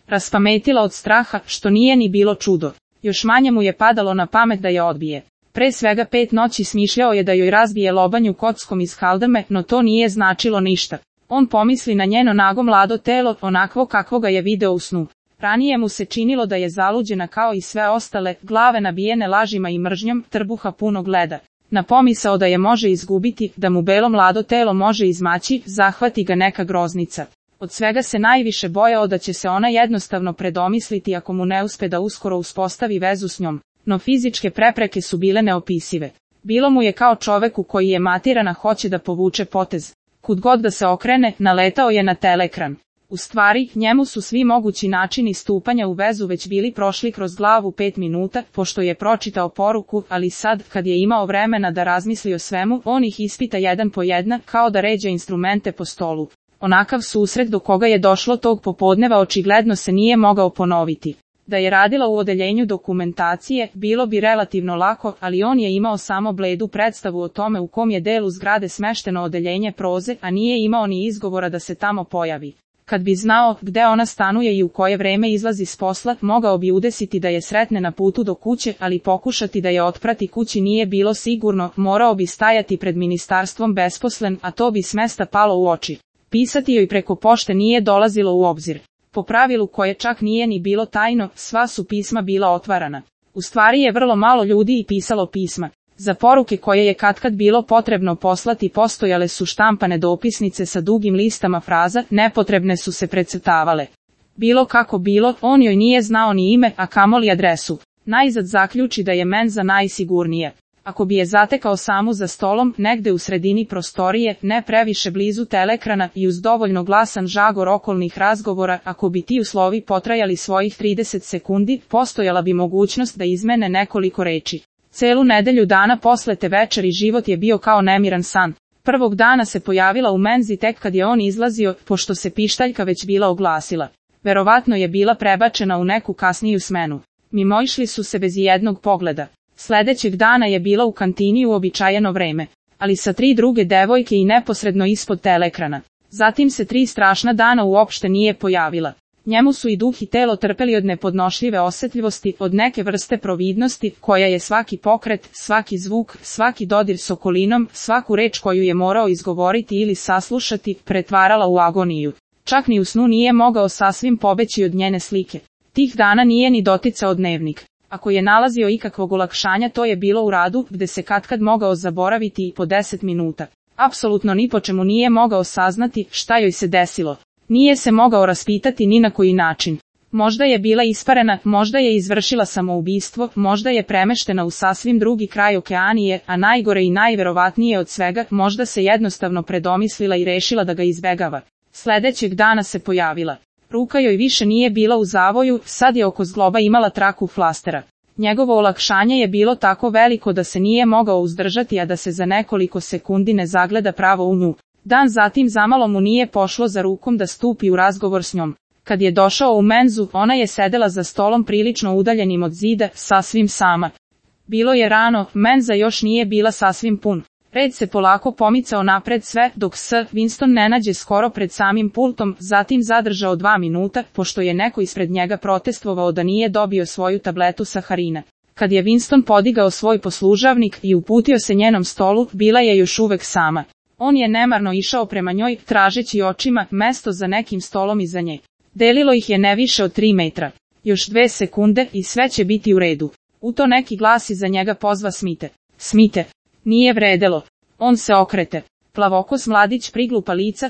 raspametila od straha, što nije ni bilo čudo. Još manje mu je padalo na pamet da je odbije. Pre svega 5 noći smišljao je da joj razbije lobanju kockom iz haldame, no to nije značilo ništa. On pomisli na njeno nago mlado telo, onakvo kakvo ga je video u snu. Ranije mu se činilo da je zaluđena kao i sve ostale, glave nabijene lažima i mržnjom, trbuha punog leda. Na pomisao da je može izgubiti, da mu belo mlado telo može izmaći, zahvati ga neka groznica. Od svega se najviše bojao da će se ona jednostavno predomisliti ako mu ne uspe da uskoro uspostavi vezu s njom. No fizičke prepreke su bile neopisive. Bilo mu je kao čoveku koji je matiran a hoće da povuče potez. Kud god da se okrene, naletao je na telekran. U stvari, njemu su svi mogući načini stupanja u vezu već bili prošli kroz glavu 5 minuta, pošto je pročitao poruku, ali sad, kad je imao vremena da razmisli o svemu, on ih ispita jedan po jedna, kao da ređa instrumente po stolu. Onakav susret do koga je došlo tog popodneva očigledno se nije mogao ponoviti. Da je radila u odeljenju dokumentacije, bilo bi relativno lako, ali on je imao samo bledu predstavu o tome u kom je delu zgrade smešteno odeljenje proze, a nije imao ni izgovora da se tamo pojavi. Kad bi znao gde ona stanuje i u koje vreme izlazi s posla, mogao bi udesiti da je sretne na putu do kuće, ali pokušati da je otprati kući nije bilo sigurno, morao bi stajati pred ministarstvom besposlen, a to bi s mesta palo u oči. Pisati joj preko pošte nije dolazilo u obzir. Po pravilu koje čak nije ni bilo tajno, sva su pisma bila otvarana. U stvari je vrlo malo ljudi i pisalo pisma. Za poruke koje je katkad bilo potrebno poslati postojale su štampane dopisnice sa dugim listama fraza, nepotrebne su se precrtavale. Bilo kako bilo, on joj nije znao ni ime, a kamoli adresu. Najzad zaključi da je menza najsigurnija. Ako bi je zatekao samu za stolom, negde u sredini prostorije, ne previše blizu telekrana i uz dovoljno glasan žagor okolnih razgovora, ako bi ti uslovi potrajali svojih 30 sekundi, postojala bi mogućnost da izmene nekoliko reči. Celu nedelju dana posle te večeri život je bio kao nemiran san. Prvog dana se pojavila u menzi tek kad je on izlazio, pošto se pištaljka već bila oglasila. Verovatno je bila prebačena u neku kasniju smenu. Mimoišli su se bez jednog pogleda. Sledećeg dana je bila u kantini u uobičajeno vreme, ali sa 3 druge devojke i neposredno ispod telekrana. Zatim se 3 strašna dana uopšte nije pojavila. Njemu su i duh i telo trpeli od nepodnošljive osetljivosti, od neke vrste providnosti, koja je svaki pokret, svaki zvuk, svaki dodir s okolinom, svaku reč koju je morao izgovoriti ili saslušati, pretvarala u agoniju. Čak ni u snu nije mogao sasvim pobeći od njene slike. Tih dana nije ni doticao dnevnik. Ako je nalazio ikakvog olakšanja, to je bilo u radu, gde se katkad mogao zaboraviti i po 10 minuta. Apsolutno ni po čemu nije mogao saznati šta joj se desilo. Nije se mogao raspitati ni na koji način. Možda je bila isparena, možda je izvršila samoubistvo, možda je premeštena u sasvim drugi kraj okeanije, a najgore i najverovatnije od svega, možda se jednostavno predomislila i rešila da ga izbegava. Sledećeg dana se pojavila. Ruka joj više nije bila u zavoju, sad je oko zgloba imala traku flastera. Njegovo olakšanje je bilo tako veliko da se nije mogao uzdržati, a da se za nekoliko sekundi ne zagleda pravo u nju. Dan zatim zamalo mu nije pošlo za rukom da stupi u razgovor s njom. Kad je došao u menzu, ona je sedela za stolom prilično udaljenim od zida, sasvim sama. Bilo je rano, menza još nije bila sasvim pun. Red se polako pomicao napred sve, dok se Winston ne nađe skoro pred samim pultom, zatim zadržao 2 minuta, pošto je neko ispred njega protestvovao da nije dobio svoju tabletu saharina. Kad je Winston podigao svoj poslužavnik i uputio se njenom stolu, bila je još uvek sama. On je nemarno išao prema njoj, tražeći očima mesto za nekim stolom iza nje. Delilo ih je ne više od 3 metra. Još 2 sekunde i sve će biti u redu. U to neki glas iza njega pozva Smite. Smite. Nije vredelo. On se okrete. Plavokos mladić priglupa lica,